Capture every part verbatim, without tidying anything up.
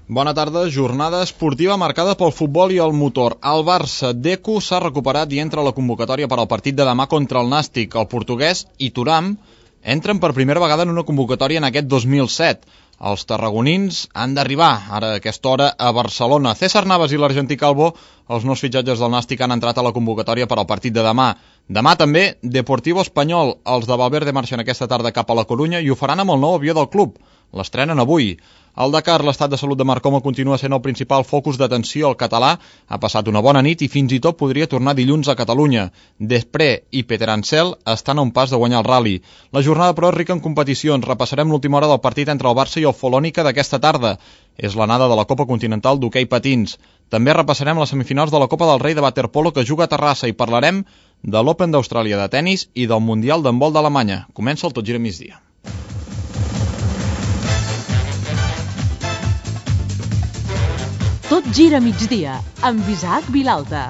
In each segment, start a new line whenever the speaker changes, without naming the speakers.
Bona tarda. Jornada esportiva marcada pel futbol i el motor. El Barça Deco s'ha recuperat i entra a la convocatòria per al partit de demà contra el Nàstic. El portuguès i Thuram entren per primera vegada en una convocatòria en aquest dos mil set. Els tarragonins han d'arribar ara a aquesta hora a Barcelona. César Navas i l'argentí Calvo, els nous fitxatges del Nàstic, han entrat a la convocatòria per al partit de demà. Demà també Deportivo Espanyol. Els de Valverde marxen aquesta tarda cap a la Corunya i ho faran amb el nou avió del club. L'estrenen avui. Al Dakar, l'estat de salut de Marc Coma continua sent el principal focus d'atenció. El català ha passat una bona nit i fins i tot podria tornar dilluns a Catalunya. Després i Peter Ansel estan a un pas de guanyar el rally. La jornada, però, és rica en competicions. Repassarem l'última hora del partit entre el Barça i el Folònica d'aquesta tarda. És l'anada de la Copa Continental d'hoquei patins. També repassarem les semifinals de la Copa del Rei de waterpolo que juga a Terrassa i parlarem de l'Open d'Austràlia de tennis i del Mundial d'handbol d'Alemanya. Comença el Tot Gira Migdia.
Tot gira migdia, amb Isaac Vilalta.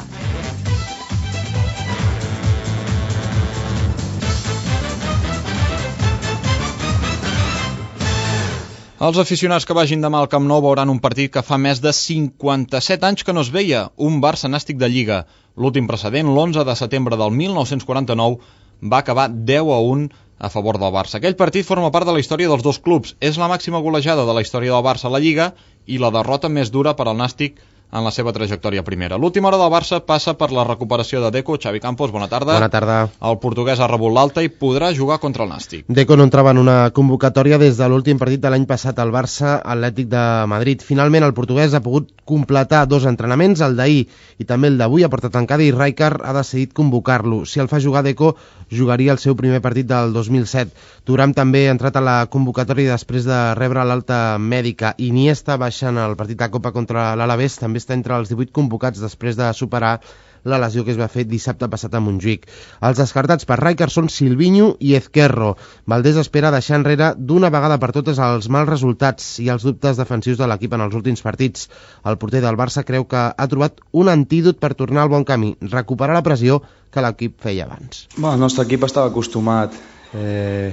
Els aficionats que vagin demà al Camp Nou veuran un partit que fa més de cinquanta-set anys que no es veia, un Barça Nàstic de Lliga. L'últim precedent, l'onze de setembre del mil nou-cents quaranta-nou, va acabar deu a un a favor del Barça. Aquell partit forma part de la història dels dos clubs. És la màxima golejada de la història del Barça a la Lliga i la derrota més dura per al Nàstic en la seva trajectòria primera. L'última hora del Barça passa per la recuperació de Deco. Xavi Campos, bona tarda.
Bona tarda.
El portuguès ha rebut l'alta i podrà jugar contra el Nàstic.
Deco no entrava en una convocatòria des de l'últim partit de l'any passat al Barça Atlètic de Madrid. Finalment el portuguès ha pogut completar dos entrenaments, el d'ahir i també el d'avui a porta tancada, i Rijkaard ha decidit convocar-lo. Si el fa jugar Deco, jugaria el seu primer partit del dos mil set. Thuram també ha entrat a la convocatòria després de rebre l'alta mèdica. Iniesta, baixant el partit de Copa contra l'Alavés, també està entre els divuit convocats després de superar la lesió que es va fer dissabte passat a Montjuïc. Els descartats per Rijkaard són Silvinho i Ezquerro. Valdés espera deixar enrere d'una vegada per totes els mals resultats i els dubtes defensius de l'equip en els últims partits. El porter del Barça creu que ha trobat un antídot per tornar al bon camí, recuperar la pressió que l'equip feia abans.
Bueno, el nostre equip estava acostumat eh,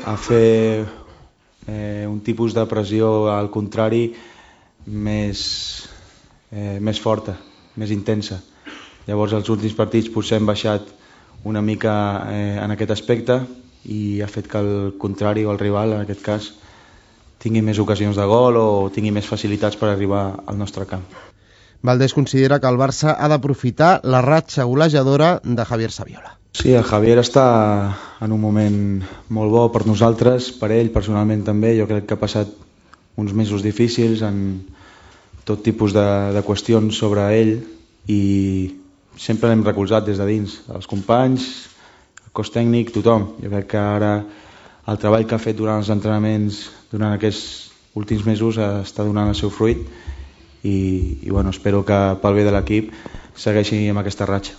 a fer eh, un tipus de pressió al contrari més, eh, més forta, més intensa. Llavors els últims partits potser hem baixat una mica eh, en aquest aspecte i ha fet que el contrari o el rival, en aquest cas, tingui més ocasions de gol o tingui més facilitats per arribar al nostre camp.
Valdés considera que el Barça ha d'aprofitar la ratxa golejadora de Javier Saviola.
Sí, el Javier està en un moment molt bo per nosaltres, per ell personalment també. Jo crec que ha passat uns mesos difícils en tot tipus de, de qüestions sobre ell i sempre l'hem recolzat des de dins, els companys, el cos tècnic, tothom. Jo crec que ara el treball que ha fet durant els entrenaments durant aquests últims mesos està donant el seu fruit i, i bueno, espero que pel bé de l'equip segueixi amb aquesta ratxa.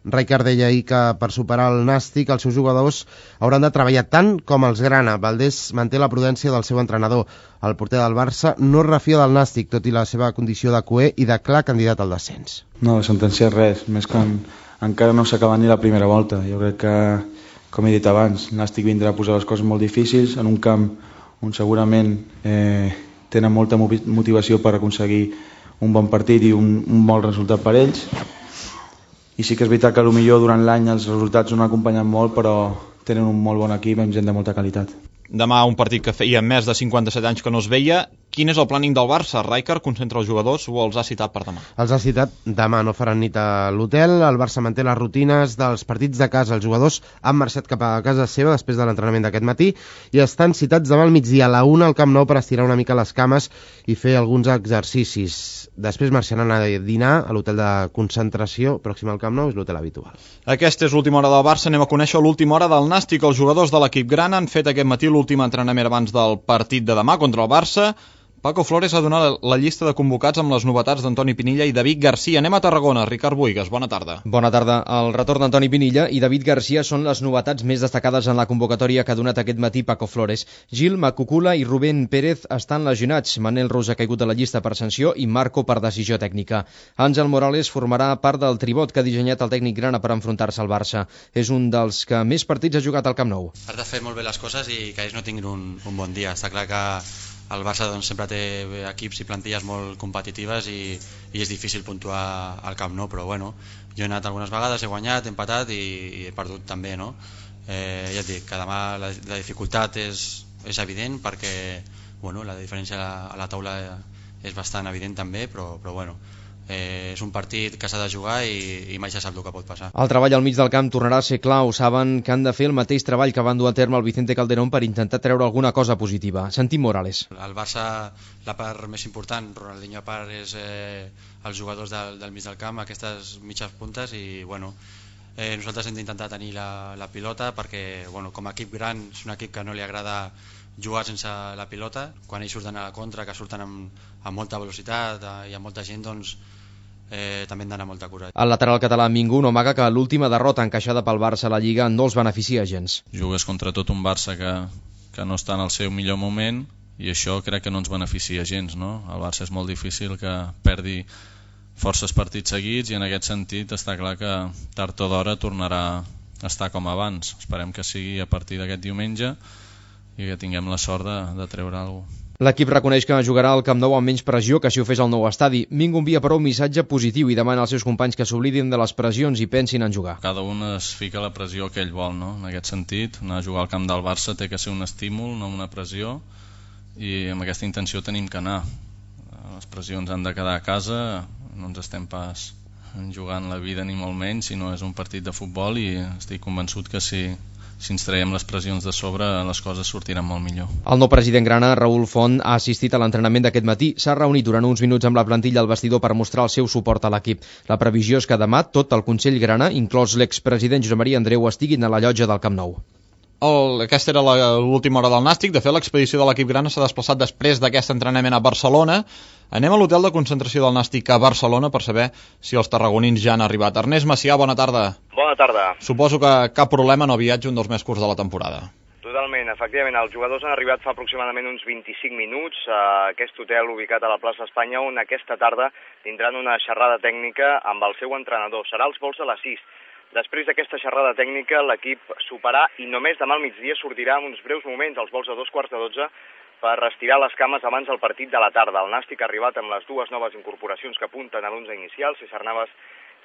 Rijkaard deia ahir que per superar el Nàstic els seus jugadors hauran de treballar tant com els grana. Valdés manté la prudència del seu entrenador. El porter del Barça no es refia del Nàstic, tot i la seva condició de cuer i de clar candidat al descens.
No, sentenciar res, més que en, encara no s'ha acabat ni la primera volta. Jo crec que, com he dit abans, el Nàstic vindrà a posar les coses molt difícils en un camp on segurament eh, tenen molta motivació per aconseguir un bon partit i un, un bon resultat per ells. I sí que és veritat que potser durant l'any els resultats no han acompanyat molt, però tenen un molt bon equip amb gent de molta qualitat.
Demà un partit que feia més de cinquanta-set anys que no es veia. Quin és el plàning del Barça? Rijkaard concentra els jugadors o els ha citat per demà?
Els ha citat demà, no faran nit a l'hotel. El Barça manté les rutines dels partits de casa. Els jugadors han marxat cap a casa seva després de l'entrenament d'aquest matí i estan citats demà al migdia a la una al Camp Nou per estirar una mica les cames i fer alguns exercicis. Després marxaran a dinar a l'hotel de concentració pròxim al Camp Nou, és l'hotel habitual.
Aquesta és l'última hora del Barça. Anem a conèixer l'última hora del Nàstic. Els jugadors de l'equip gran han fet aquest matí l'últim entrenament abans del partit de demà contra el Barça. Paco Flores ha donat la llista de convocats amb les novetats d'Antoni Pinilla i David Garcia. Anem a Tarragona. Ricard Buigas, bona tarda.
Bona tarda. El retorn d'Antoni Pinilla i David Garcia són les novetats més destacades en la convocatòria que ha donat aquest matí Paco Flores. Gil, Macucula i Rubén Pérez estan lesionats. Manel Ros ha caigut de la llista per sanció i Marco per decisió tècnica. Àngel Morales formarà part del tribot que ha dissenyat el tècnic grana per enfrontar-se al Barça. És un dels que més partits ha jugat al Camp Nou.
Has de fer molt bé les coses i que ells no tinguin un, un bon dia. Està clar que el Barça doncs, sempre té equips i plantilles molt competitives i, i és difícil puntuar al Camp Nou, però bueno, jo he anat algunes vegades, he guanyat, he empatat i, i he perdut també, no? Eh, ja et dic que demà la, la dificultat és, és evident perquè bueno, la diferència a la, a la taula és bastant evident també, però, però bueno, Eh, és un partit que s'ha de jugar i, i mai se sap el que pot passar.
El treball al mig del camp tornarà a ser clau. Saben que han de fer el mateix treball que van dur a terme el Vicente Calderón per intentar treure alguna cosa positiva. Sentim Morales.
El Barça, la part més important, Ronaldinho a part, és eh, els jugadors del, del mig del camp, aquestes mitges puntes, i bueno, eh, nosaltres hem d'intentar tenir la, la pilota perquè bueno, com a equip gran és un equip que no li agrada jugar sense la pilota. Quan ells surten a la contra, que surten amb, amb molta velocitat eh, i amb molta gent, doncs eh, també hem d'anar molta cura.
El lateral català Mingú no amaga que l'última derrota encaixada pel Barça a la Lliga no els beneficia gens.
Jugues contra tot un Barça que, que no està en el seu millor moment i això crec que no ens beneficia gens, no? El Barça és molt difícil que perdi forces partits seguits i en aquest sentit està clar que tard o d'hora tornarà a estar com abans. Esperem que sigui a partir d'aquest diumenge i que tinguem la sort de, de treure alguna cosa.
L'equip reconeix que jugarà al Camp Nou amb menys pressió que si ho fes al nou estadi. Mingú envia però un missatge positiu i demana als seus companys que s'oblidin de les pressions i pensin en jugar.
Cada un es fica la pressió que ell vol, no? En aquest sentit, anar a jugar al camp del Barça té que ser un estímul, no una pressió, i amb aquesta intenció tenim que anar. Les pressions han de quedar a casa, no ens estem pas jugant la vida ni molt menys, sinó és un partit de futbol i estic convençut que si si ens traiem les pressions de sobre les coses sortiran molt millor.
El nou president grana, Raül Font, ha assistit a l'entrenament d'aquest matí. S'ha reunit durant uns minuts amb la plantilla al vestidor per mostrar el seu suport a l'equip. La previsió és que demà tot el Consell grana, inclòs l'expresident Josep Maria Andreu, estiguin a la llotja del Camp Nou.
El, aquesta era l'última hora del Nàstic. De fet, l'expedició de l'equip grana s'ha desplaçat després d'aquest entrenament a Barcelona. Anem a l'hotel de concentració del Nàstic a Barcelona per saber si els tarragonins ja han arribat. Ernest Macià, bona tarda.
Bona tarda.
Suposo que cap problema, no viatge, un dels més curts de la temporada.
Totalment, efectivament, els jugadors han arribat fa aproximadament uns vint-i-cinc minuts a aquest hotel ubicat a la plaça Espanya, on aquesta tarda tindran una xerrada tècnica amb el seu entrenador. Serà als vols de les sis. Després d'aquesta xerrada tècnica, l'equip soparà i només demà al migdia sortirà en uns breus moments als vols de dos quarts de dotze per estirar les cames abans del partit de la tarda. El Nàstic ha arribat amb les dues noves incorporacions que apunten a l'onze inicial, César Navas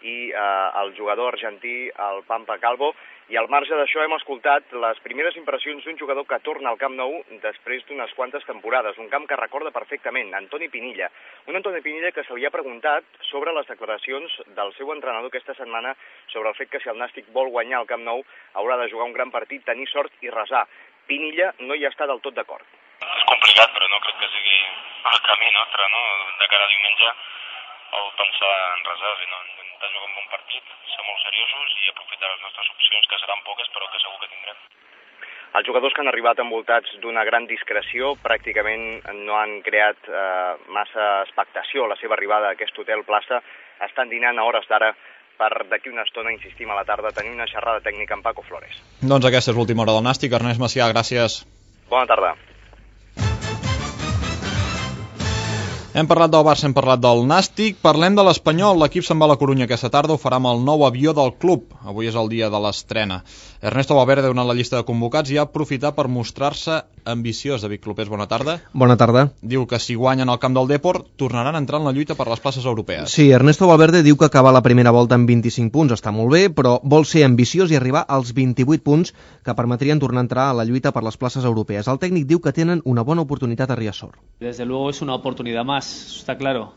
i eh, el jugador argentí, el Pampa Calvo, i al marge d'això hem escoltat les primeres impressions d'un jugador que torna al Camp Nou després d'unes quantes temporades, un camp que recorda perfectament, Antoni Pinilla. Un Antoni Pinilla que se li ha preguntat sobre les declaracions del seu entrenador aquesta setmana sobre el fet que si el Nàstic vol guanyar al Camp Nou haurà de jugar un gran partit, tenir sort i resar. Pinilla no hi està del tot d'acord.
És complicat, però no crec que sigui el camí nostre, no? De cara a diumenge, o pensar en resar, sinó intentar jugar un bon partit, ser molt seriosos i aprofitar les nostres opcions, que seran poques, però que segur que tindrem.
Els jugadors que han arribat envoltats d'una gran discreció pràcticament no han creat eh, massa expectació a la seva arribada a aquest hotel plaça. Estan dinant a hores d'ara per d'aquí una estona, insistim a la tarda, tenir una xerrada tècnica amb Paco Flores.
Doncs aquesta és l'última hora del Nàstic. Ernest Macià, gràcies.
Bona tarda.
Hem parlat del Barça, hem parlat del Nàstic, parlem de l'Espanyol. L'equip se'n va a la Corunya aquesta tarda, ho farà amb el nou avió del club. Avui és el dia de l'estrena. Ernesto Valverde ha donat la llista de convocats i ha aprofitat per mostrar-se ambiciós. David Clopés, bona tarda.
Bona tarda.
Diu que si guanyen al camp del Depor tornaran a entrar en la lluita per les places europees.
Sí, Ernesto Valverde diu que acabar la primera volta amb vint-i-cinc punts està molt bé, però vol ser ambiciós i arribar als vint-i-vuit punts que permetrien tornar a entrar a la lluita per les places europees. El tècnic diu que tenen una bona oportunitat a Riazor.
Desde luego es una oportunidad más, está claro.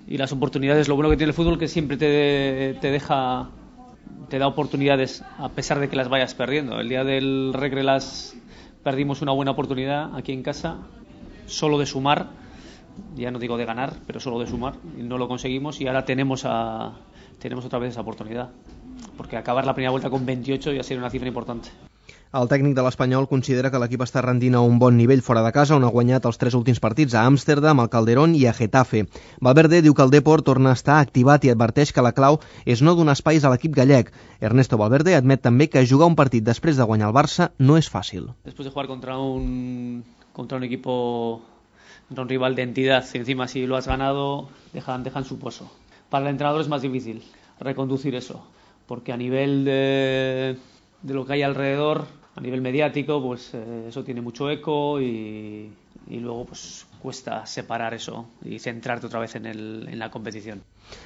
Y las oportunidades, lo bueno que tiene el fútbol que siempre te, te deja, te da oportunidades a pesar de que las vayas perdiendo. El día del Regre las perdimos una buena oportunidad aquí en casa, solo de sumar, ya no digo de ganar, pero solo de sumar, y no lo conseguimos y ahora tenemos, a, tenemos otra vez esa oportunidad, porque acabar la primera vuelta con veintiocho ya sería una cifra importante.
El tècnic de l'Espanyol considera que l'equip està rendint a un bon nivell fora de casa, on ha guanyat els tres últims partits a Amsterdam, al Calderón i a Getafe. Valverde diu que el Depor torna a estar activat i adverteix que la clau és no donar espais a l'equip gallec. Ernesto Valverde admet també que jugar un partit després de guanyar el Barça no és fàcil.
Després de jugar contra un, contra un equipo, contra un rival de entidad, encima si lo has ganado, dejan, dejan su pozo. Para el entrenador es más difícil reconducir eso, porque a nivel de, de lo que hay alrededor, a nivel mediático, pues eh, eso tiene mucho eco y, y luego pues cuesta separar eso y centrarte otra vez en, el, en la competición.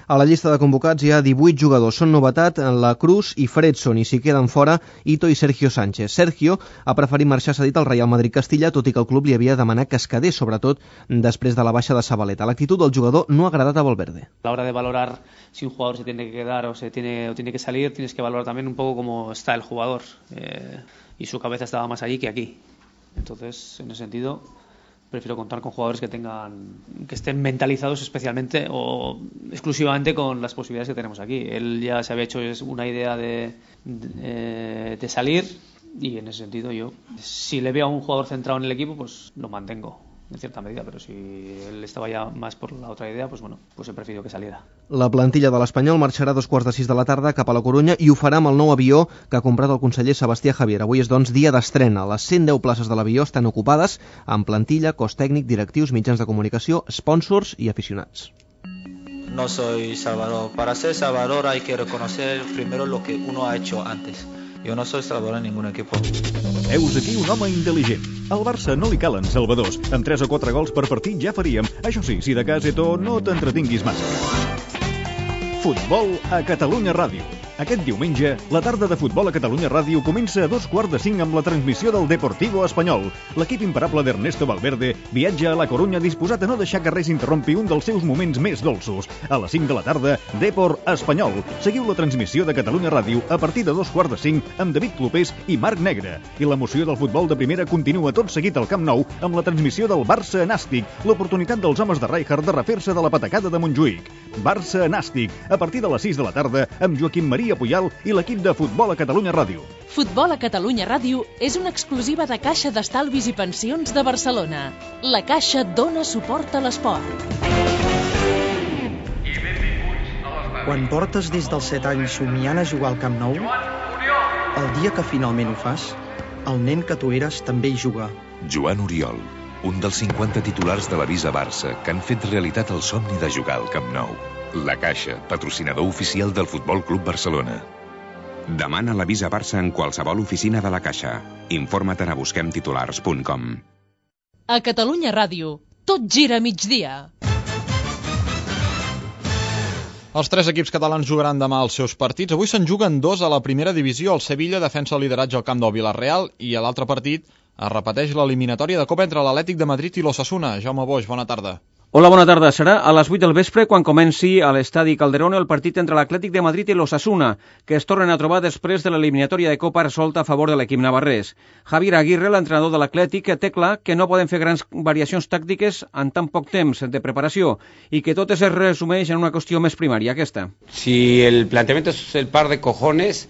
A la llista de convocats hi ha divuit jugadors. Són novetat La Cruz i Fredson, i s'hi queden fora Ito i Sergio Sánchez. Sergio ha preferit marxar cedit al Real Madrid Castilla, tot i que el club li havia demanat que es quedés, sobretot després de la baixa de Zabaleta. L'actitud del jugador no ha agradat a Valverde.
A la hora de valorar si un jugador se tiene que quedar o se tiene, o tiene que salir, tienes que valorar también un poco cómo está el jugador. Eh, y su cabeza estaba más allí que aquí. Entonces, en ese sentido, prefiero contar con jugadores que tengan, que estén mentalizados especialmente o exclusivamente con las posibilidades que tenemos aquí. Él ya se había hecho una idea de, de, de salir, y en ese sentido yo, si le veo a un jugador centrado en el equipo, pues lo mantengo en cierta medida, pero si él estaba ya más por la otra idea, pues bueno, pues he preferido que saliera.
La plantilla de l'Espanyol marxarà a dos quarts de sis de la tarda cap a la Corunya i ho farà amb el nou avió que ha comprat el conseller Sebastià Javier. Avui és, doncs, dia d'estrena. Les cent deu places de l'avió estan ocupades amb plantilla, cos tècnic, directius, mitjans de comunicació, sponsors i aficionats.
No soy Salvador. Para ser Salvador hay que reconocer primero lo que uno ha hecho antes. Jo no soy salvador en ningún equipo.
Heus aquí un home intel·ligent. Al Barça no li calen salvadors. Amb tres o quatre gols per partit ja faríem. Això sí, si de cas, Eto, no t'entretinguis massa. Futbol a Catalunya Ràdio. Aquest diumenge, la tarda de Futbol a Catalunya Ràdio comença a dos quarts de cinc amb la transmissió del Deportivo Espanyol. L'equip imparable d'Ernesto Valverde viatja a la Corunya disposat a no deixar que res interrompi un dels seus moments més dolços. A les cinc de la tarda, Deport Espanyol. Seguiu la transmissió de Catalunya Ràdio a partir de dos quarts de cinc amb David Clopés i Marc Negre. I l'emoció del futbol de primera continua tot seguit al Camp Nou amb la transmissió del Barça Nàstic, l'oportunitat dels homes de Rijkaard de refer-se de la patacada de Montjuïc. Barça Nàstic, a partir de les sis de la tarda amb Joaquim Maria Puyal i l'equip de Futbol a Catalunya Ràdio.
Futbol a Catalunya Ràdio és una exclusiva de Caixa d'Estalvis i Pensions de Barcelona. La Caixa dona suport a l'esport.
Quan portes des dels set anys somiant a jugar al Camp Nou, el dia que finalment ho fas, el nen que tu eres també hi juga.
Joan Oriol, un dels cinquanta titulars de la Visa Barça que han fet realitat el somni de jugar al Camp Nou. La Caixa, patrocinador oficial del Futbol Club Barcelona. Demana la Visa Barça en qualsevol oficina de la Caixa. Informa't a busquem titulars punt com.
A Catalunya Ràdio, tot gira a migdia.
Els tres equips catalans jugaran demà els seus partits. Avui se'n juguen dos a la primera divisió. El Sevilla defensa el lideratge al camp del Villarreal i a l'altre partit es repeteix l'eliminatòria de Copa entre l'Atlètic de Madrid i l'Osasuna. Jaume Boix, bona tarda.
Hola, bona tarda. Serà a les vuit del vespre quan comenci a l'estadi Calderón el partit entre l'Atlètic de Madrid i l'Osasuna, que es tornen a trobar després de l'eliminatòria de Copa resolta a favor de l'equip navarrès. Javier Aguirre, l'entrenador de l'Atlètic, té clar que no poden fer grans variacions tàctiques en tan poc temps de preparació i que tot es resumeix en una qüestió més primària, aquesta.
Si el planteamiento es el par de cojones,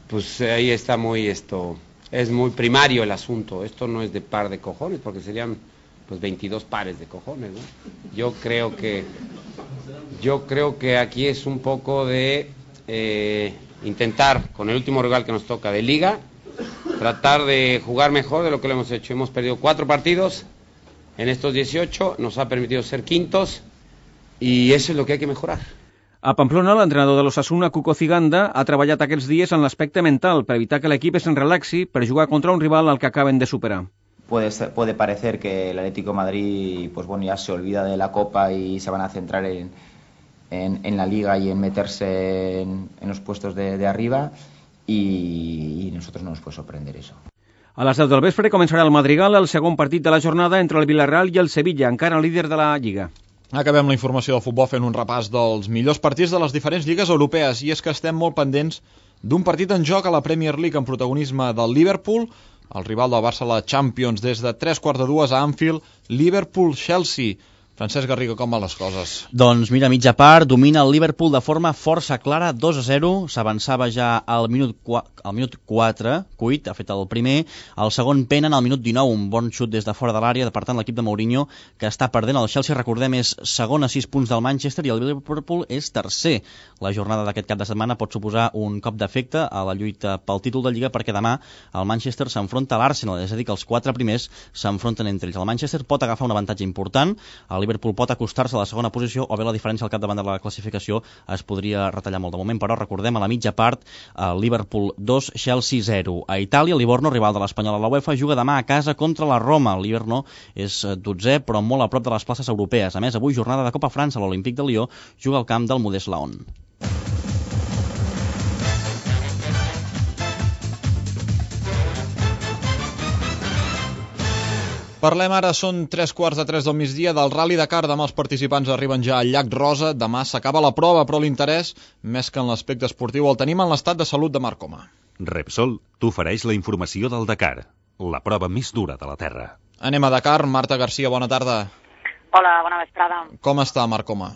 pues ahí está muy esto, es muy primario el asunto. Esto no es de par de cojones, porque serían pues veintidós pares de cojones, ¿no? Yo creo que yo creo que aquí es un poco de eh, intentar, con el último rival que nos toca de Liga, tratar de jugar mejor de lo que lo hemos hecho. Hemos perdido cuatro partidos en estos dieciocho, nos ha permitido ser quintos y eso es lo que hay que mejorar.
A Pamplona, l'entrenador de l'Osasuna, Cuco Ciganda, ha treballat aquests dies en l'aspecte mental per evitar que l'equip es relaxi per jugar contra un rival al que acaben de superar.
Puede, puede parecer que el Atlético de Madrid pues bueno, ya se olvida de la Copa y se van a centrar en, en, en la Liga y en meterse en, en los puestos de, de arriba y, y nosotros no nos puede sorprender eso.
A les deu del vespre començarà el Madrigal, el segon partit de la jornada entre el Villarreal i el Sevilla, encara líder de la Lliga.
Acabem la informació del futbol fent un repàs dels millors partits de les diferents lligues europees, i és que estem molt pendents d'un partit en joc a la Premier League amb protagonisme del Liverpool, el rival del Barça a la Champions, des de tres quarts de dues a Anfield, Liverpool-Chelsea. Francesc Garriga, com van les coses?
Doncs mira, mitja part, domina el Liverpool de forma força clara, dos a zero, s'avançava ja al minut, al minut quatre, Cuit ha fet el primer, el segon penen al minut dinou, un bon xut des de fora de l'àrea, per tant l'equip de Mourinho, que està perdent. El Chelsea, recordem, és segon a sis punts del Manchester i el Liverpool és tercer. La jornada d'aquest cap de setmana pot suposar un cop d'efecte a la lluita pel títol de Lliga, perquè demà el Manchester s'enfronta a l'Arsenal, és a dir, que els quatre primers s'enfronten entre ells. El Manchester pot agafar un avantatge important, el el Liverpool pot acostar-se a la segona posició o bé la diferència al capdavant de la classificació es podria retallar molt. De moment, però, recordem, a la mitja part, el Liverpool dos, Chelsea zero. A Itàlia, el Livorno, rival de l'Espanyol a la UEFA, juga demà a casa contra la Roma. El Livorno és dotzè, però molt a prop de les places europees. A més, avui, jornada de Copa França, l'Olímpic de Lió juga al camp del Modest Laon.
Parlem ara, són tres quarts de tres del migdia, del Rally Dakar. Demà els participants arriben ja al llac Rosa. Demà s'acaba la prova, però l'interès, més que en l'aspecte esportiu, el tenim en l'estat de salut de Marc Coma.
Repsol t'ofereix la informació del Dakar, la prova més dura de la Terra.
Anem a Dakar. Marta Garcia, bona tarda.
Hola, bona vesprada.
Com està, Marc Coma?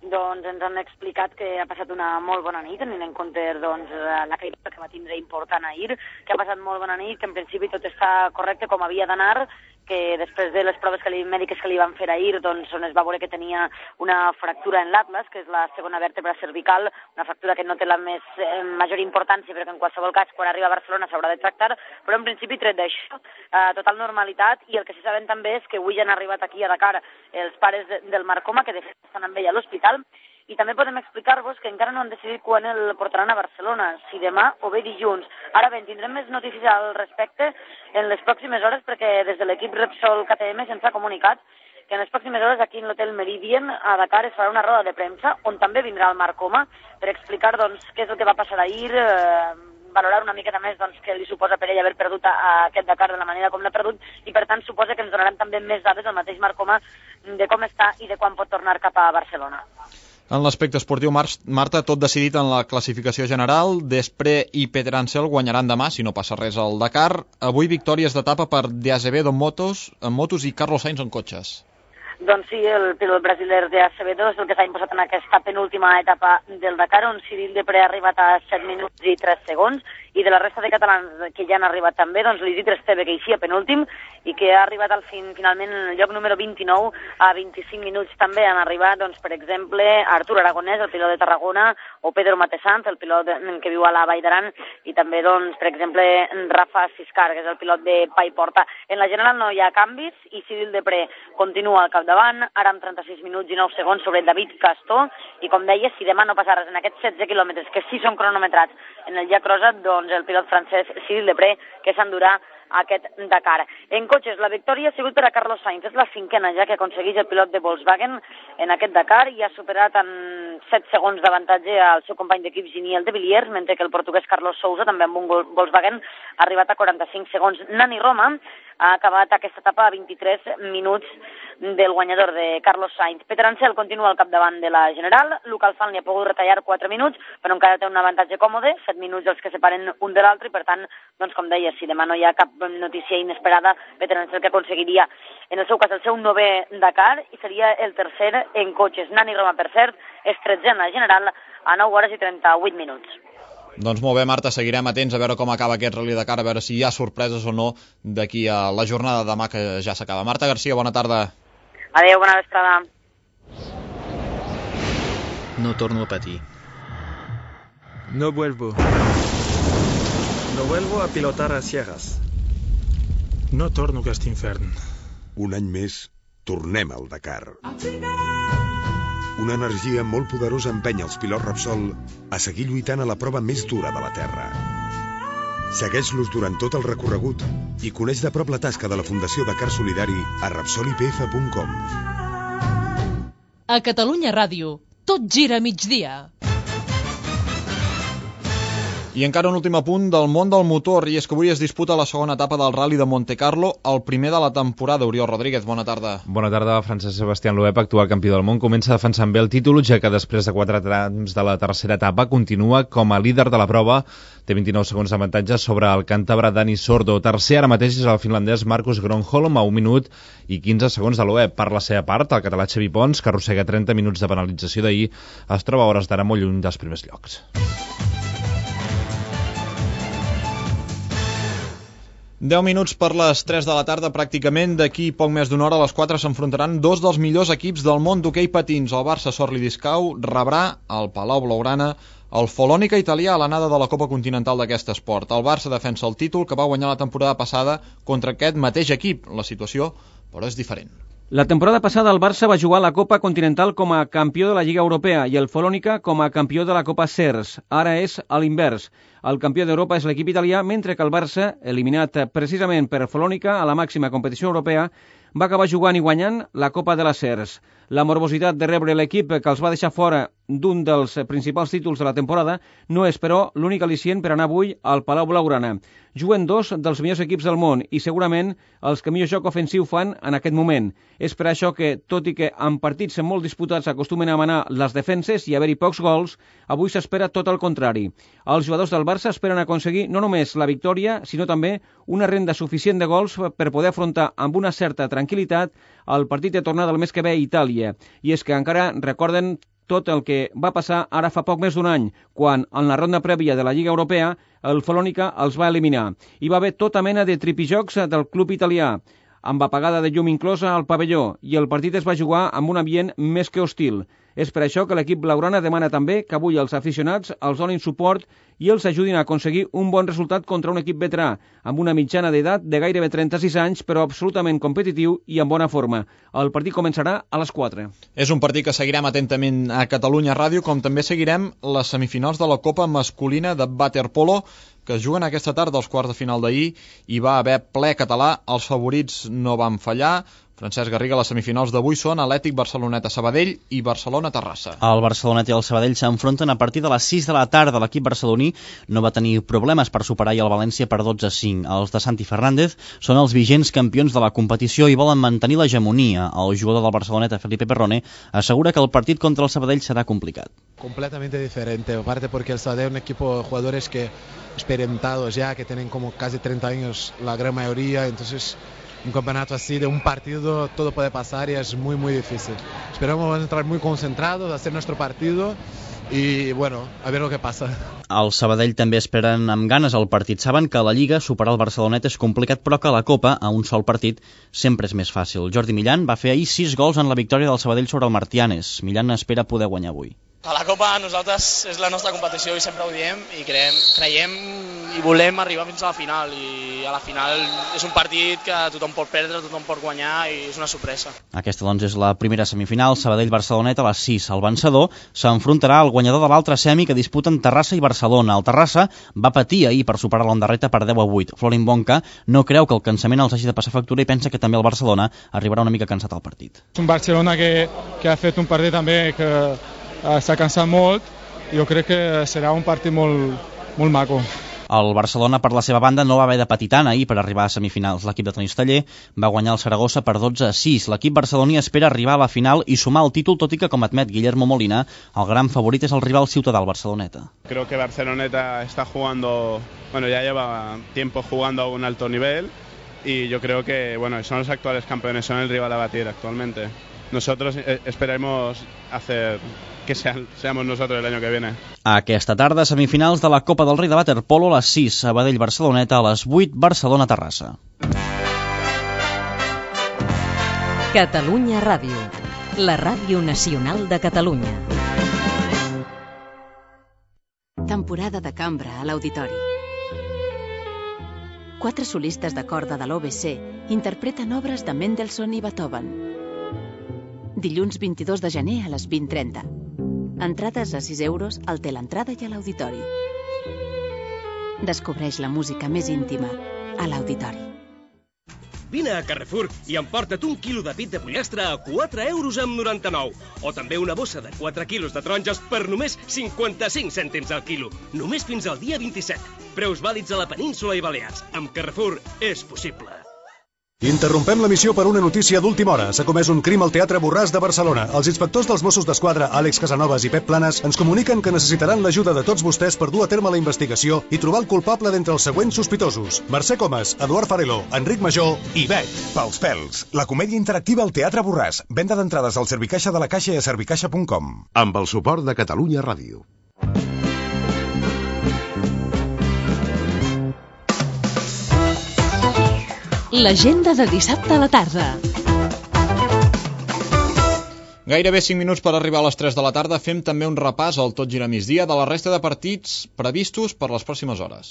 Doncs ens han explicat que ha passat una molt bona nit, tenint en compte doncs, la caiguda que va tindre important ahir, que ha passat molt bona nit, que en principi tot està correcte com havia d'anar, que després de les proves que li, mèdiques que li van fer ahir, doncs, on es va veure que tenia una fractura en l'atlas, que és la segona vèrtebra cervical, una fractura que no té la més eh, major importància, però que en qualsevol cas, quan arriba a Barcelona s'haurà de tractar, però en principi, tret d'això, eh, total normalitat, i el que sí sabem també és que avui ja han arribat aquí a Dakar els pares de, del Marc Coma, que de fet estan amb ell a l'hospital, i també podem explicar-vos que encara no han decidit quan el portaran a Barcelona, si demà o bé dilluns. Ara bé, tindrem més notícies al respecte en les pròximes hores, perquè des de l'equip Repsol K T M se'ns ha comunicat que en les pròximes hores aquí en l'hotel Meridian a Dakar es farà una roda de premsa on també vindrà el Marc Coma per explicar doncs, què és el que va passar ahir, eh, valorar una miqueta més doncs, què li suposa per ell haver perdut a, a aquest Dakar de la manera com l'ha perdut, i per tant suposa que ens donaran també més dades el mateix Marc Coma de com està i de quan pot tornar cap a Barcelona.
En l'aspecte esportiu, Marta, tot decidit en la classificació general. Despre i Pedrancel guanyaran demà, si no passa res al Dakar. Avui victòries d'etapa per De Azevedo en motos, en motos i Carlos Sainz en cotxes.
Doncs sí, el pilot brasiler De Azevedo és el que s'ha imposat en aquesta penúltima etapa del Dakar, on Cyril Despre ha arribat a set minuts i tres segons, i de la resta de catalans que ja han arribat també, doncs l'Isidre Esteve, que hi penúltim, i que ha arribat al fin, finalment en el lloc número vint-i-nou a vint-i-cinc minuts també han arribat, doncs, per exemple, Artur Aragonès, el pilot de Tarragona, o Pedro Matesanz, el pilot que viu a la Vall d'Aran, i també, doncs, per exemple, Rafa Siscar, que és el pilot de Paiporta. En la general no hi ha canvis, i Cyril Despre continua al capdavant, ara amb trenta-sis minuts i nou segons sobre David Castó, i com deia, si demà no passa res en aquests setze quilòmetres, que sí són cronometrats en el llac Rosa, doncs el pilot francès Cyril Despre, que s'endurà aquest Dakar. En cotxes, la victòria ha sigut per a Carlos Sainz, és la cinquena ja que aconsegueix el pilot de Volkswagen en aquest Dakar, i ha superat en set segons d'avantatge al seu company d'equip Giniel de Villiers, mentre que el portuguès Carlos Sousa, també amb un Volkswagen, ha arribat a quaranta-cinc segons. Nani Roma ha acabat aquesta etapa a vint-i-tres minuts del guanyador de Carlos Sainz. Pedrancel continua al capdavant de la general, Luca Alfan li ha pogut retallar quatre minuts, però encara té un avantatge còmode, set minuts els que separen un de l'altre, i per tant, doncs com deia, si demà no hi ha cap notícia inesperada, Pedrancel que aconseguiria, en el seu cas, el seu novè Dakar, i seria el tercer en cotxes. Nani Roma, per cert, és tretzè en la general a nou hores i trenta-vuit minuts.
Doncs molt bé, Marta, seguirem atents a veure com acaba aquest Rally Dakar, a veure si hi ha sorpreses o no d'aquí a la jornada de demà, que ja s'acaba. Marta Garcia, bona tarda.
Adéu, bona vesprada.
No torno a patir. No vuelvo. No vuelvo a pilotar a ciegas.
No torno a aquest infern.
Un any més, tornem al Dakar. Una energia molt poderosa empenya els pilots Repsol a seguir lluitant a la prova més dura de la Terra. Segueix-los durant tot el recorregut i coneix de prop la tasca de la Fundació Dakar Solidari a repsol i p f punt com.
A Catalunya Ràdio, tot gira a migdia.
I encara un últim apunt del món del motor, i és que avui es disputa la segona etapa del Rally de Monte Carlo, el primer de la temporada. Oriol Rodríguez, bona tarda.
Bona tarda, Francesc Sebastián Loeb, actual campió del món, comença defensant bé el títol, ja que després de quatre trams de la tercera etapa continua com a líder de la prova, té vint-i-nou segons d'avantatge sobre el càntabre Dani Sordo. Tercer ara mateix és el finlandès Marcus Gronholm a un minut i quinze segons de Loeb. Per la seva part, el català Xavi Pons, que arrossega trenta minuts de penalització d'ahir, es troba a hores d'ara molt lluny dels primers llocs.
deu minuts per les tres de la tarda, pràcticament d'aquí poc més d'una hora, a les quatre s'enfrontaran dos dels millors equips del món d'hoquei patins. El Barça Sorli Discau rebrà al Palau Blaugrana el Folònica italià a l'anada de la Copa Continental d'aquest esport. El Barça defensa el títol que va guanyar la temporada passada contra aquest mateix equip. La situació, però, és diferent.
La temporada passada el Barça va jugar la Copa Continental com a campió de la Lliga Europea i el Folònica com a campió de la Copa Cers. Ara és a l'invers. El campió d'Europa és l'equip italià, mentre que el Barça, eliminat precisament per Folònica a la màxima competició europea, va acabar jugant i guanyant la Copa de la Cers. La morbositat de rebre l'equip que els va deixar fora d'un dels principals títols de la temporada no és, però, l'únic al·licient per anar avui al Palau Blaugrana. Juguen dos dels millors equips del món i segurament els que millor joc ofensiu fan en aquest moment. És per això que, tot i que en partits molt disputats acostumen a manar les defenses i haver-hi pocs gols, avui s'espera tot el contrari. Els jugadors del Barça esperen aconseguir no només la victòria, sinó també una renda suficient de gols per poder afrontar amb una certa tranquil·litat el partit de tornada del mes que ve a Itàlia. I és que encara recorden tot el que va passar ara fa poc més d'un any, quan, en la ronda prèvia de la Lliga Europea, el Folònica els va eliminar. Hi va haver tota mena de tripijocs del club italià, amb apagada de llum inclosa al pavelló, i el partit es va jugar amb un ambient més que hostil. És per això que l'equip blaugrana demana també que avui els aficionats els donin suport i els ajudin a aconseguir un bon resultat contra un equip veterà, amb una mitjana d'edat de gairebé trenta-sis anys, però absolutament competitiu i en bona forma. El partit començarà a les quatre.
És un partit que seguirem atentament a Catalunya Ràdio, com també seguirem les semifinals de la Copa Masculina de Waterpolo, que es juguen aquesta tarda als quarts de final d'ahir. Hi va haver ple català, els favorits no van fallar. Francesc Garriga, les semifinals d'avui són Atlètic Barceloneta-Sabadell i Barcelona-Terrassa.
El Barceloneta i el Sabadell s'enfronten a partir de les sis de la tarda. L'equip barceloní no va tenir problemes per superar i el València per dotze a cinc. Els de Santi Fernández són els vigents campions de la competició i volen mantenir l'hegemonia. El jugador del Barceloneta, Felipe Perrone, assegura que el partit contra el Sabadell serà complicat.
Completamente diferente, aparte porque el Sabadell es un equipo de jugadores que experimentados ya, que tienen como casi treinta años la gran mayoría, entonces un campeonato así de un partido todo puede pasar y es muy muy difícil. Esperamos entrar muy concentrados, hacer nuestro partido i, bueno, a veure què passa.
El Sabadell també esperen amb ganes el partit. Saben que a la Lliga superar el Barcelonet és complicat, però que a la Copa, a un sol partit, sempre és més fàcil. Jordi Millán va fer ahir sis gols en la victòria del Sabadell sobre el Martianes. Millán espera poder guanyar avui.
A la Copa nosaltres és la nostra competició i sempre ho diem i creiem, creiem i volem arribar fins a la final, i a la final és un partit que tothom pot perdre, tothom pot guanyar i és una sorpresa.
Aquesta doncs és la primera semifinal, Sabadell-Barcelonet a les sis. El vencedor s'enfrontarà al guanyador de l'altra semi que disputen Terrassa i Barcelona. El Terrassa va patir ahir per superar l'Ondarreta per deu a vuit. Florin Bonca no creu que el cansament els hagi de passar factura i pensa que també el Barcelona arribarà una mica cansat al partit.
És un Barcelona que, que ha fet un partit també que s'ha cansat molt. Jo crec que serà un partit molt, molt maco.
El Barcelona, per la seva banda, no va haver de patir tant ahir per arribar a semifinals. L'equip de tenis taller va guanyar el Saragossa per dotze a sis. L'equip barceloní espera arribar a la final i sumar el títol, tot i que, com admet Guillermo Molina, el gran favorit és el rival ciutadà, el Barceloneta.
Creo que Barceloneta está jugando, bueno, ya lleva tiempo jugando a un alto nivel y yo creo que, bueno, son los actuales campeones, son el rival a batir actualmente. Nosotros esperaremos hacer que sean, seamos nosotros el año que viene.
Aquesta tarda, semifinals de la Copa del Rei de Waterpolo a les sis, Sabadell-Barceloneta, a les vuit, Barcelona-Terrassa.
Catalunya Ràdio, la ràdio nacional de Catalunya.
Temporada de cambra a l'Auditori. Quatre solistes de corda de l'O B C interpreten obres de Mendelssohn i Beethoven. Dilluns vint-i-dos de gener a les vint trenta. Entrades a sis euros al Teleentrada i a l'Auditori. Descobreix la música més íntima a l'Auditori.
Vine a Carrefour i emporta't un quilo de pit de pollastre a quatre euros amb noranta-nou. O també una bossa de quatre quilos de taronges per només cinquanta-cinc cèntims al quilo. Només fins al dia vint-i-set. Preus vàlids a la península i Balears. Amb Carrefour és possible.
Interrompem l'emissió per una notícia d'última hora. S'ha comès un crim al Teatre Borràs de Barcelona. Els inspectors dels Mossos d'Esquadra, Àlex Casanovas i Pep Planes, ens comuniquen que necessitaran l'ajuda de tots vostès per dur a terme la investigació i trobar el culpable d'entre els següents sospitosos: Mercè Comas, Eduard Fareló, Enric Major i Bet.
Pels pèls, la comèdia interactiva al Teatre Borràs. Venda d'entrades al Servicaixa de la Caixa i a servicaixa punt com. Amb el suport de Catalunya Ràdio.
L'agenda de dissabte a la tarda.
Gairebé cinc minuts per arribar a les tres de la tarda. Fem també un repàs al Tot gira migdia de la resta de partits previstos per les pròximes hores.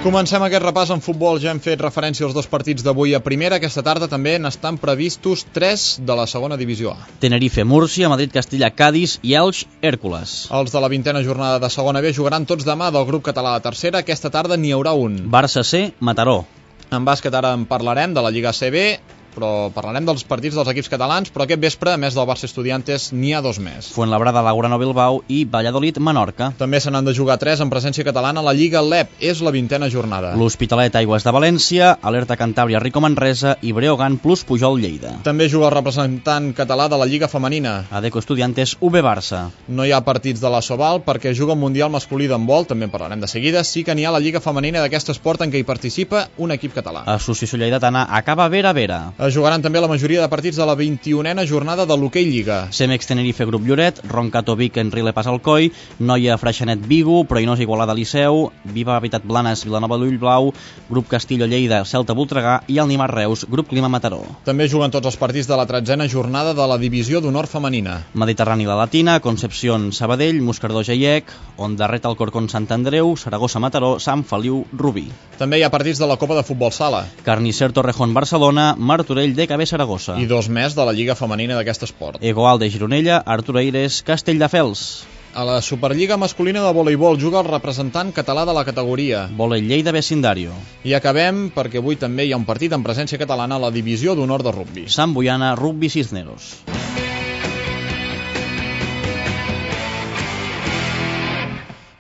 Comencem aquest repàs en futbol. Ja hem fet referència als dos partits d'avui a primera. Aquesta tarda també n'estan previstos tres de la segona divisió A.
Tenerife, Múrcia, Madrid, Castilla, Cádiz i Elx, Hèrcules.
Els de la vintena jornada de segona B jugaran tots demà del grup català de tercera. Aquesta tarda n'hi haurà un.
Barça C, Mataró.
En bàsquet ara en parlarem de la Lliga C B, però parlarem dels partits dels equips catalans, però aquest vespre, a més del Barça Estudiantes, n'hi ha dos més.
Fuenlabrada, Laurano, Bilbao i Valladolid, Menorca.
També se n'han de jugar tres en presència catalana a la Lliga L E P. És la vintena jornada.
L'Hospitalet, Aigües de València, Alerta Cantàbria, Rico Manresa i Breogán plus Pujol, Lleida.
També juga el representant català de la Lliga Femenina.
Adeco Estudiantes, U B Barça.
No hi ha partits de la Sobal perquè juga el Mundial masculí d'handbol, també en parlarem de seguida. Sí que n'hi ha la Lliga Femenina d'aquest esport en què hi participa un equip català.
Associació Lleidatana acaba Vera Vera.
Es jugaran també la majoria de partits de la vint-i-unena jornada de l'Hoquei Lliga.
Cemex Tenerife, Grup Lloret, Roncato Vic, Enrile Pas Alcoi, Noia Freixenet Vigo, Proinós Igualada Liceu, Viva Habitat Blanes, Vilanova d'Ullblau, Grup Castillo Lleida, Celta Voltregà i el Nimar Reus, Grup Clima Mataró.
També juguen tots els partits de la tretzena jornada de la divisió d'honor femenina.
Mediterrani La Latina, Concepción Sabadell, Moscardó Geiec, Ondarret Alcorcón Sant Andreu, Saragossa Mataró, Sant Feliu Rubí.
També hi ha partits de la Copa de Futbol Sala.
Carnicer Torrejón Barcelona, Martorell D K B Saragossa.
I dos més de la Lliga Femenina d'aquest esport.
Egoal de Gironella, Artur Eires, Castelldefels.
A la Superliga masculina de voleibol juga el representant català de la categoria.
Volei Lleida Vecindario.
I acabem perquè avui també hi ha un partit en presència catalana a la divisió d'honor de rugbi.
Sant Boiana, Rugbi Cisneros.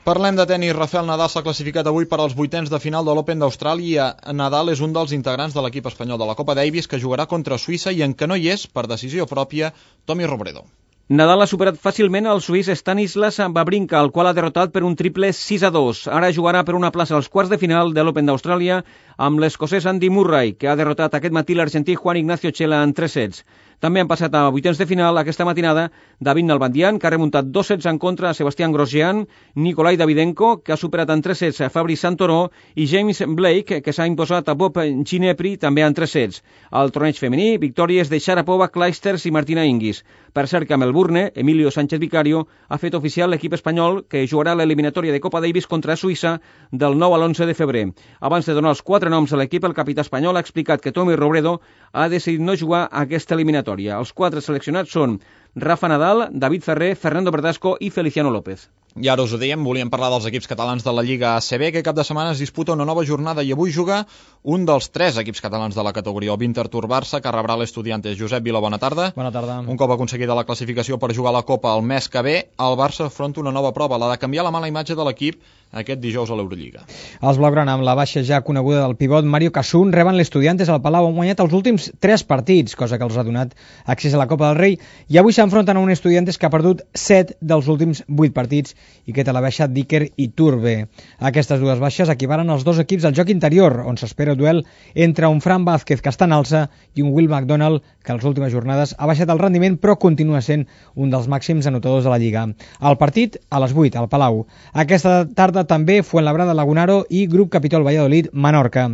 Parlem de tenis. Rafael Nadal s'ha classificat avui per als vuitens de final de l'Open d'Austràlia. Nadal és un dels integrants de l'equip espanyol de la Copa Davis que jugarà contra Suïssa i en què no hi és, per decisió pròpia, Tommy Robredo.
Nadal ha superat fàcilment el suís Stanislas Wawrinka, el qual ha derrotat per un triple sis a dos. Ara jugarà per una plaça als quarts de final de l'Open d'Austràlia amb l'escocès Andy Murray, que ha derrotat aquest matí l'argentí Juan Ignacio Chela en tres sets. També han passat a vuitens de final aquesta matinada David Nalbandian, que ha remuntat dos sets en contra a Sebastián Grosjean, Nikolai Davydenko, que ha superat en tres sets a Fabrice Santoro, i James Blake, que s'ha imposat a Bob Ginepri, també en tres sets. Al torneig femení, victòries de Sharapova, Clijsters i Martina Hingis. Per cert que a Melbourne, Emilio Sánchez Vicario ha fet oficial l'equip espanyol que jugarà l'eliminatòria de Copa Davis contra Suïssa del nou a l'onze de febrer. Abans de donar els quatre noms a l'equip, el capità espanyol ha explicat que Tommy Robredo ha decidit no jugar a aquesta eliminatòria. Els quatre seleccionats són Rafa Nadal, David Ferrer, Fernando Verdasco i Feliciano López.
I ara us ho dèiem, volíem parlar dels equips catalans de la Lliga A C B, que cap de setmana es disputa una nova jornada i avui juga un dels tres equips catalans de la categoria, el Winterthur Barça, que rebrà l'Estudiantes. Josep Vila, bona tarda.
Bona tarda.
Un cop aconseguida la classificació per jugar a la Copa el mes que ve, el Barça afronta una nova prova, la de canviar la mala imatge de l'equip aquest dijous a l'Eurolliga.
Els blaugrana, amb la baixa ja coneguda del pivot Mario Casun, reben l'Estudiantes al Palau. Han guanyat els últims tres partits, cosa que els ha donat accés a la Copa del Rei, i avui s'enfronten a un Estudiantes que ha perdut set dels últims vuit partits i que té la baixa Dicker i Turbe. Aquestes dues baixes equivalen als dos equips al joc interior, on s'espera el duel entre un Fran Vázquez, que està en alça, i un Will McDonald, que a les últimes jornades ha baixat el rendiment, però continua sent un dels màxims anotadors de la Lliga. El partit a les vuit, al Palau. Aquesta tarda també Fuenlabrada, Lagunaro i Grup Capitol Valladolid, Menorca.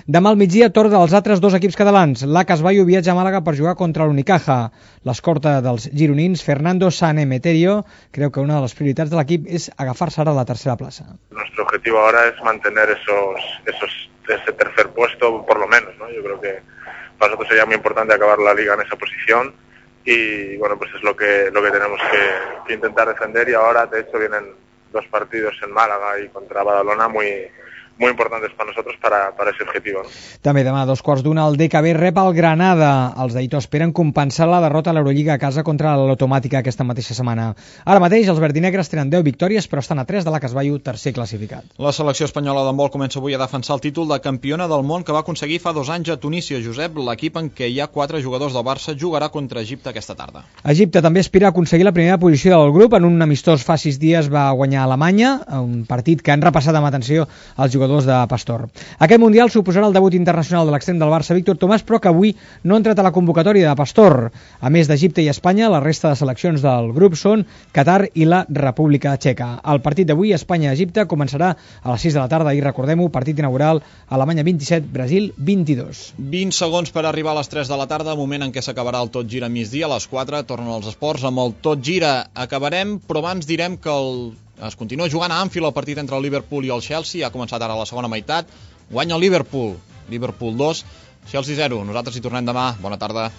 Demà al migdia, torn dels altres dos equips catalans. L'A C A S Bayo viatja a Màlaga per jugar contra l'Unicaja. L'escorta dels gironins, Fernando Sanemeterio, creu que una de les prioritats de l'equip és agafar-se ara la tercera plaça.
Nuestro objetivo ahora es mantener esos, esos, ese tercer puesto, por lo menos, ¿no? Yo creo que para nosotros sería muy importante acabar la liga en esa posición y bueno, pues es lo que lo que tenemos que, que intentar defender, y ahora de hecho vienen dos partidos en Málaga y contra Badalona muy muy importantes para nosotros para, para ese objetivo, ¿no?
També demà a dos quarts d'una el D K B rep el Granada. Els d'Aito esperen compensar la derrota a l'Eurolliga a casa contra l'Automàtica aquesta mateixa setmana. Ara mateix els verdinegres tenen deu victòries, però estan a tres de l'A C A S Bayo, tercer classificat.
La selecció espanyola d'handbol comença avui a defensar el títol de campiona del món que va aconseguir fa dos anys a Tunísia. Josep, l'equip en què hi ha quatre jugadors del Barça jugarà contra Egipte aquesta tarda.
Egipte també aspira a aconseguir la primera posició del grup. En un amistós fa sis dies va guanyar a Alemanya, un partit que han repassat amb atenció els jugadors de Pastor. Aquest Mundial suposarà el debut internacional de l'extrem del Barça, Víctor Tomàs, però que avui no ha entrat a la convocatòria de Pastor. A més d'Egipte i Espanya, la resta de seleccions del grup són Qatar i la República Txeca. El partit d'avui, Espanya-Egipte, començarà a les sis de la tarda i recordem-ho, partit inaugural, Alemanya vint-i-set, Brasil vint-i-dos.
vint segons per arribar a les tres de la tarda, moment en què s'acabarà el Tot Gira migdia. A les quatre tornen els esports amb el Tot Gira. Acabarem, però abans direm que el Es continua jugant a Anfield el partit entre el Liverpool i el Chelsea. Ha començat ara la segona meitat. Guanya el Liverpool. Liverpool dos, Chelsea zero. Nosaltres hi tornem demà. Bona tarda.